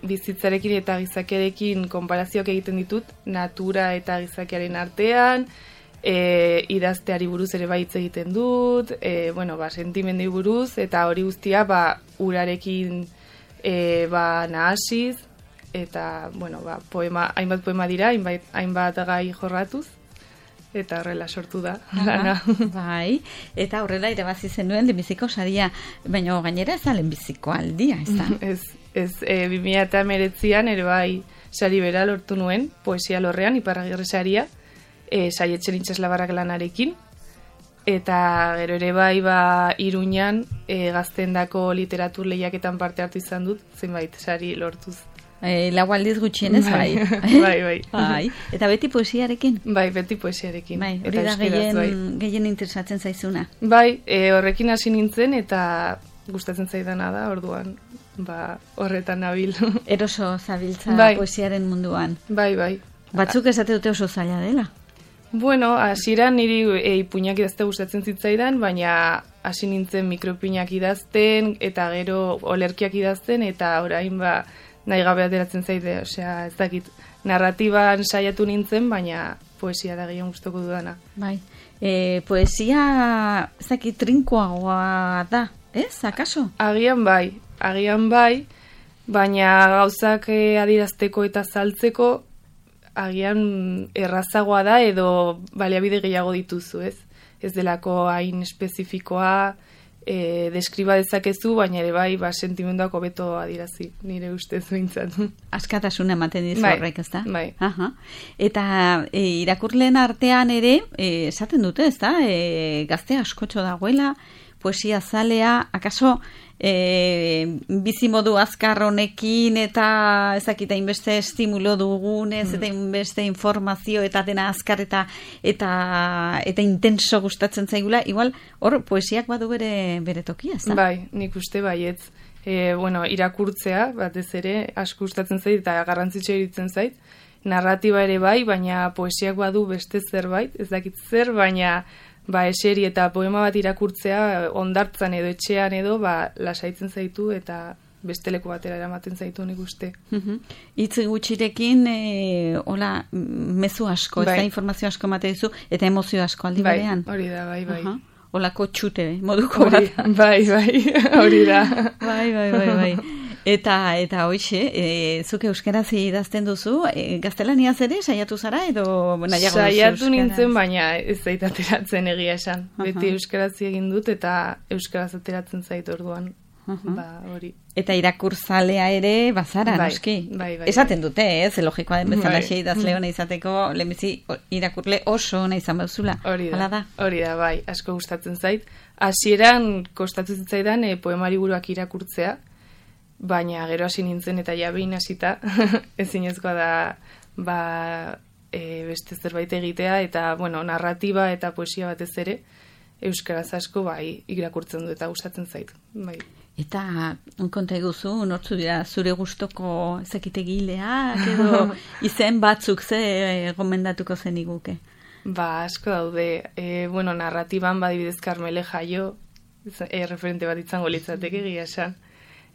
bizitzarekin eta gizakiarekin konparazioak egiten ditut, natura eta gizakiaren artean, idazteari buruz ere hitz egiten dut, sentimendu buruz, eta hori guztia urarekin nahasiz, eta, hainbat poema dira, hainbat gai jorratuz, eta horrela sortu da. Bai, eta horrela irabazi zenuen lehenbiziko saria, baina gainera ez da lehenbiziko aldia, ez da? Ez, 2019an ere bai sari bera lortu nuen, poesia lorrean, Iparragirre saria, Saietzen Itsaslabarrak lanarekin, eta gero ere bai Iruñan gaztendako literatur lehiaketan parte hartu izan dut, zenbait sari lortuz. Lau aldiz gutxienez, bai. Bai. Eta beti poesiarekin? Bai, beti poesiarekin. Bai, hori da gehien interesatzen zaizuna. Bai, horrekin hasi nintzen eta gustatzen zaidana da, orduan, horretan nabil. Eroso zabiltza poesiaren munduan. Bai. Batzuk esate dute oso zaila dela? Bueno, hasieran niri ipuinak idazte gustatzen zitzaidan, baina hasi nintzen mikroipuinak idazten, eta gero olerkiak idazten, eta orain nahi gabe ateratzen zaite, osea, ez dakit, narratiban saiatu nintzen, baina poesia da gehien gustoko dudana. Bai, poesia, ez dakit, trinkoagoa da, ez, akaso? Agian bai, baina gauzak adierazteko eta saltzeko, agian errazagoa da edo baliabide gehiago dituzu, ez? Ez delako hain espezifikoa, deskriba dezakezu, baina ere bai, sentimenduak hobeto adirazi, nire ustez behintzat. Askatasuna ematen dizu horrek, ez da? Bai. Eta irakurleen artean ere, esaten dute, ez da? Gazte askotxo dagoela, poesia zalea, akaso bizimodu azkar honekin eta ezakita inbeste estimulo dugunez eta inbeste informazio eta dena azkar eta intenso gustatzen zaigula, igual hor poesiak badu bere tokia, ez da? Bai, nik uste baietz. Irakurtzea, batez ere, asko gustatzen zait eta garrantzitsua iruditzen zait. Narratiba ere bai, baina poesiak badu beste zerbait, ez dakit zer, baina eseri eta poema bat irakurtzea ondartzan edo etxean edo lasaitzen zaitu eta beste leku batera eramaten zaitu nik uste. Hitz gutxirekin hola mezu asko, ez da informazio asko emate dizu eta emozio asko aldi berean. Hori da, bai. Holako txute moduko bat. Bai, hori da. Bai. Eta hoxe, zuk euskaraz idazten duzu, gaztelaniaz ere saiatu zara edo nahiago duzu euskaraz? Saiatu nintzen, baina ez zait ateratzen egia esan. Beti euskaraz egin dut eta euskaraz ateratzen zait orduan. Hori. Eta irakurzalea ere bazara, noski? Bai. Esaten dute, ez? Logikoa den bezala idazle ona izateko, lehenbizi irakurle oso ona izan bauzula. Hori da, bai, asko gustatzen zait. Hasieran kostatu zitzaidan poemari buruak irakurtzea, baina gero hasi nintzen eta jabein hasita ezinezkoa da beste zerbait egitea eta narratiba eta poesia batez ere euskaraz asko irakurtzen du eta gustatzen zait. Bai. Eta konta eguzu, nortzu dira zure gustoko ezekitegileak edo izen batzuk ze gomendatuko zeniguke? Asko daude. Narratiban badibidez Karmele Jaio, referente bat izango litzateke egia esan.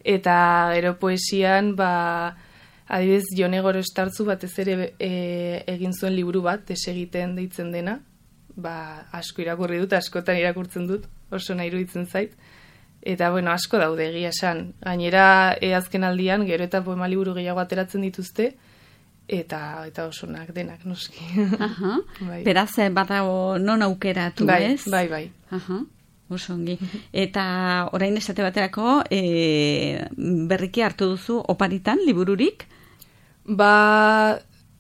Eta gero poesian, adibidez, Jone Gorostartzu batez ere egin zuen liburu bat, desegiten deitzen dena, asko irakurri dut, askotan irakurtzen dut, oso nahi iruditzen zait. Eta, asko daude egia esan. Gainera, azken aldian, gero eta poema liburu gehiago ateratzen dituzte, eta osonak denak, noski. Beraz, badago non aukeratu, ez? Bai. Osongi. Eta orain esate baterako, berriki hartu duzu oparitan, libururik?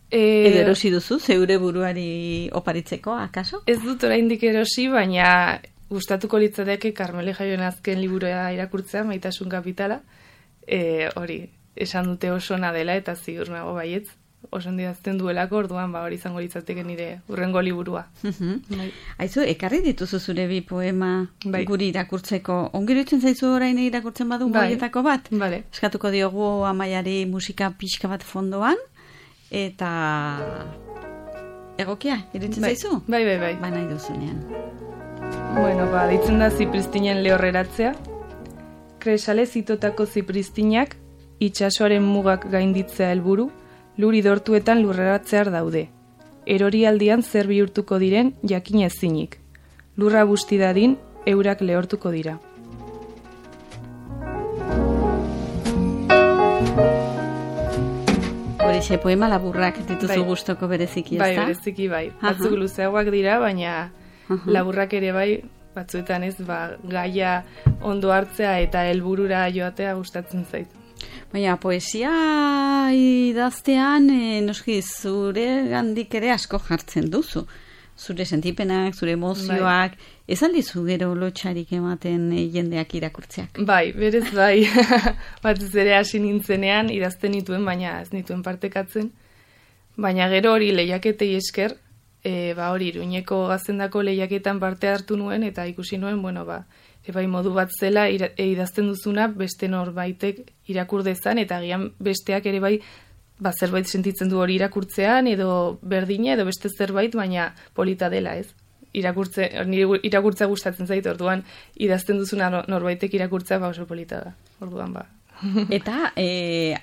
Edo erosi duzu, zeure buruari oparitzeko, akaso? Ez dut oraindik erosi, baina gustatuko litzateke Karmele Jaioen azken liburua irakurtzea, Maitasun kapitala. Hori, esan dute oso ona dela eta ziur nago baietz. Oso ondidazten duelako, orduan hori izango litzateke nire urrengo liburua. Aizu, ekarri dituzu zure bi poema guri irakurtzeko. Ongero itzen zaizu orain irakurtzen badu boietako bat? Eskatuko diogu Amaiari musika pixka bat fondoan, eta egokia, iritzen zaizu? Bai. Nahi duzunean. Deitzen da Zipristinen lehorreratzea. Kresale zitotako zipristinak itsasoaren mugak gainditzea helburu, lur idortuetan lurreratzear daude. Erorialdian zer bihurtuko diren jakin ezinik. Lurra busti dadin, eurak lehortuko dira. Horixe, poema laburrak dituzu gustoko bereziki, ezta? Bai, bereziki bai. Batzuk luzeagoak dira, baina laburrak ere bai, batzuetan ez, gaia ondo hartzea eta helburura joatea gustatzen zait. Baina, poesia idaztean, noski, zure gandik ere asko jartzen duzu. Zure sentipenak, zure emozioak, ez aldizu gero lotxarik ematen jendeak irakurtzeak? Bai, berez bai. Batez ere hasi nintzenean idazten nituen, baina ez nituen partekatzen. Baina gero hori lehiaketei esker, hori Iruñeko Gaztendako lehiaketan parte hartu nuen, eta ikusi nuen, bai modu bat zela idazten duzuna beste norbaitek irakur dezan, eta agian besteak ere bai zerbait sentitzen du hori irakurtzean, edo berdina, edo beste zerbait, baina polita dela, ez? Irakurtzea gustatzen zait, orduan idazten duzuna norbaitek irakurtzea oso polita da, orduan Eta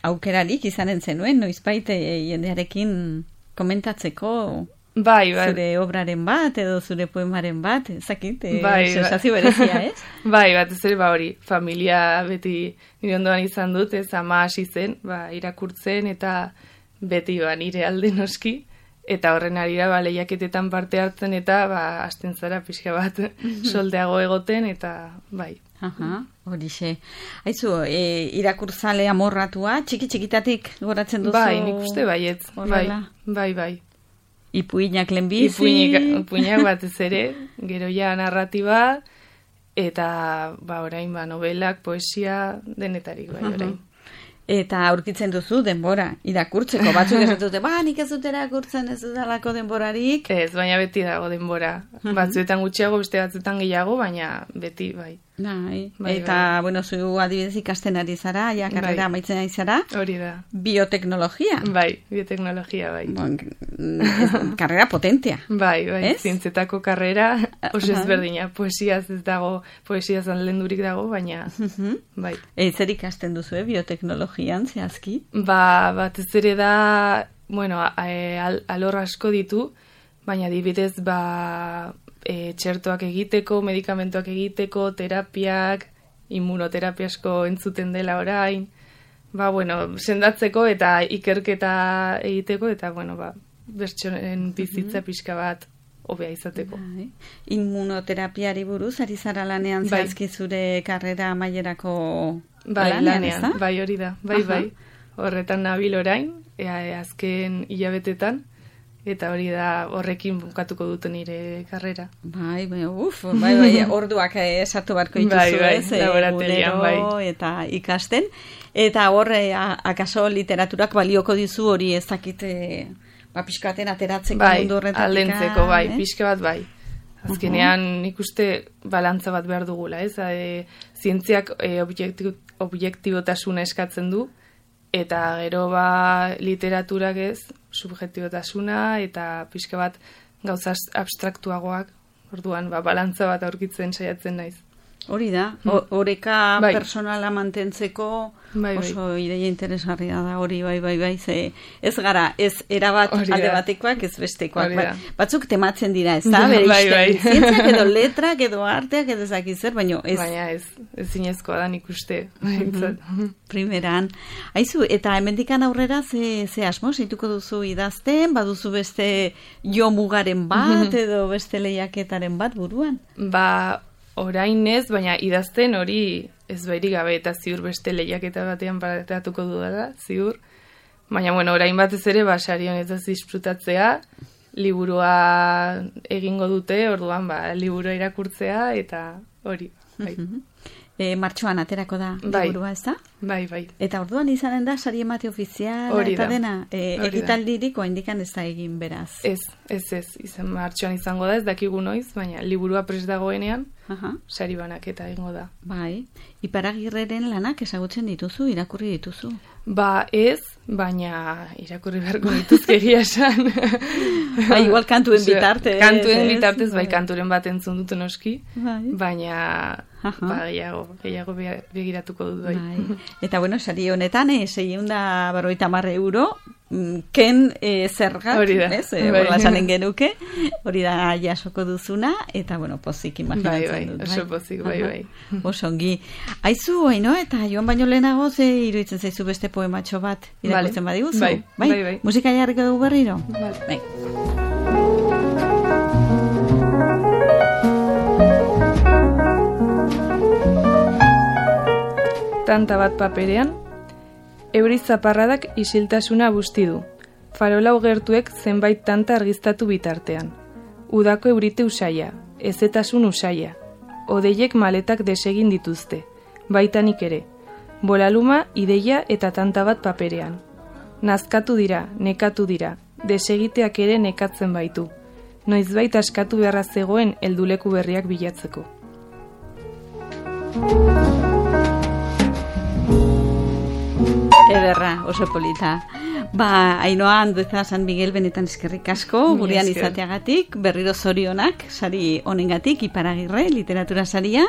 aukerarik izanen zenuen, noizbait jendearekin komentatzeko zure obraren bat, edo zure poemaren bat, ezakit, sensazio berezia, ez? Bai, batez ere hori, familia beti nire ondoan izan dut, ez ama hasi zen, irakurtzen, eta beti nire alde noski, eta horren arira lehiaketetan parte hartzen, eta hasten zara pixka bat soldeago egoten, eta bai. Horixe. Aizu, irakurtzale amorratua, txiki-txikitatik goratzen duzu? Bai, nik uste baietz, bai. Ipuinak lehenbizi? Ipuinak batez ere, gero ja narratiba, eta orain novelak, poesia, denetarik orain. Eta aurkitzen duzu denbora, irakurtzeko, batzuk ez dute, nik ez dut irakurtzen ez dudalako denborarik. Ez, baina beti dago denbora. Batzuetan gutxiago, beste batzuetan gehiago, baina beti, bai. Eta, zu adibidez ikasten ari zara, karrera amaitzen ari zara. Hori da. Bioteknologia. Bai, bioteknologia, bai. Karrera potentea. Bai, zientzetako karrera, oso ezberdina. Poesiaz ez dago, poesiaz anlendurik dago, baina, bai. Zer ikasten duzu, bioteknologian, zehazki? Batez ere da, alor asko ditu, baina adibidez, txertoak egiteko, medikamentoak egiteko, terapiak, immunoterapia asko entzuten dela orain, sendatzeko eta ikerketa egiteko, eta, bertsonen bizitza pixka bat hobea izateko. Immunoterapiari buruz, ari zara lanean zehazki zure karrera amaierako lanean, bai hori da, bai. Horretan nabil orain, azken hilabetetan, eta hori da horrekin bukatuko dute nire karrera. Bai, orduak esatu barko dituzu, laborategian, eta ikasten. Eta horre, akaso literaturak balioko dizu hori ezakite pixkaten ateratzeko mundu horretatik. Aldentzeko, pixka bat, bai. Azkenean nik uste balantza bat behar dugula, ez? Zientziak objektibotasuna eskatzen du, eta gero literaturak ez, subjektibotasuna, eta pixka bat gauza abstraktuagoak, orduan balantza bat aurkitzen saiatzen naiz. Hori da, oreka personala mantentzeko oso ideia interesgarria da, hori bai, ez gara, ez erabat alde batekoak, ez bestekoak. Batzuk tematzen dira, ez da, zientziak edo letrak edo arteak edo zakizzer, baina ez. Baina ez zinezkoa da nik uste. Primeran. Aizu, eta hemendikan aurrera ze asmo, zeituko duzu idazten, baduzu beste jo mugaren bat edo beste lehiaketaren bat buruan? Orain ez, baina idazten hori ez bairik gabe eta ziur beste lehiaketa batean paratuko dudala, ziur. Baina, orain batez ere, sari honetaz disfrutatzea, liburua egingo dute, orduan, liburua irakurtzea, eta hori, bai. Martxoan aterako da liburua, ez da? Bai. Eta orduan izanen da, sari emate ofiziala, eta dena, ekitaldiriko indikan ez da egin beraz. Ez, martxoan izango da, ez dakigu noiz, baina liburua prest dagoenean, sari banaketa egingo da. Bai, Iparagirreren lanak ezagutzen dituzu, irakurri dituzu? Ba ez, baina irakurri beharko dituzke egia esan. Ba, igual kantuen bitartez. Kantuen bitartez, bai, kanturen bat entzun dut noski, baina gehiago begiratuko dut. Bai. Eta bueno, sari honetan, 650 euro, ken zergak, horrela esanen genuke, hori da jasoko duzuna, eta bueno, pozik imaginatzen dut. Oso pozik, bai. Osongi. Aizu, haino, eta joan baino lehenago, ze iruditzen zaizu beste poematxo bat irakurtzen badiguzu? Bai. Musika jarriko dugu berriro? Bai. Tanta bat paperean, euri zaparradak isiltasuna busti du. Farola gertuek zenbait tanta argiztatu bitartean. Udako eurite usaia, ezetasun usaia. Odeiek maletak desegin dituzte, baitanik ere. Bolaluma, ideia eta tanta bat paperean. Nazkatu dira, nekatu dira, desegiteak ere nekatzen baitu. Noizbait askatu beharra zegoen helduleku berriak bilatzeko. Ederra, oso polita. Ba, Ainhoa Andueza San Miguel benetan eskerrik asko, gurean izateagatik, berriro zorionak, sari honengatik, Iparagirre, literatura saria,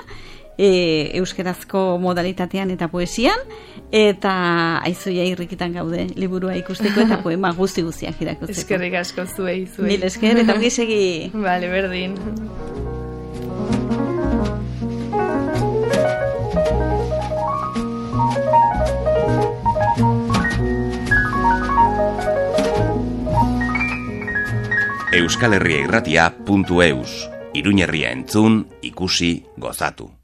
euskerazko modalitatean eta poesian, eta aizuia irrikitan gaude, liburua ikusteko eta poema guzti-guztiak irakurtzeko. Eskerrik asko zuei. Mil esker, eta ongi segi. Vale, berdin. euskalherriairratia.eus Iruñerria entzun, ikusi, gozatu.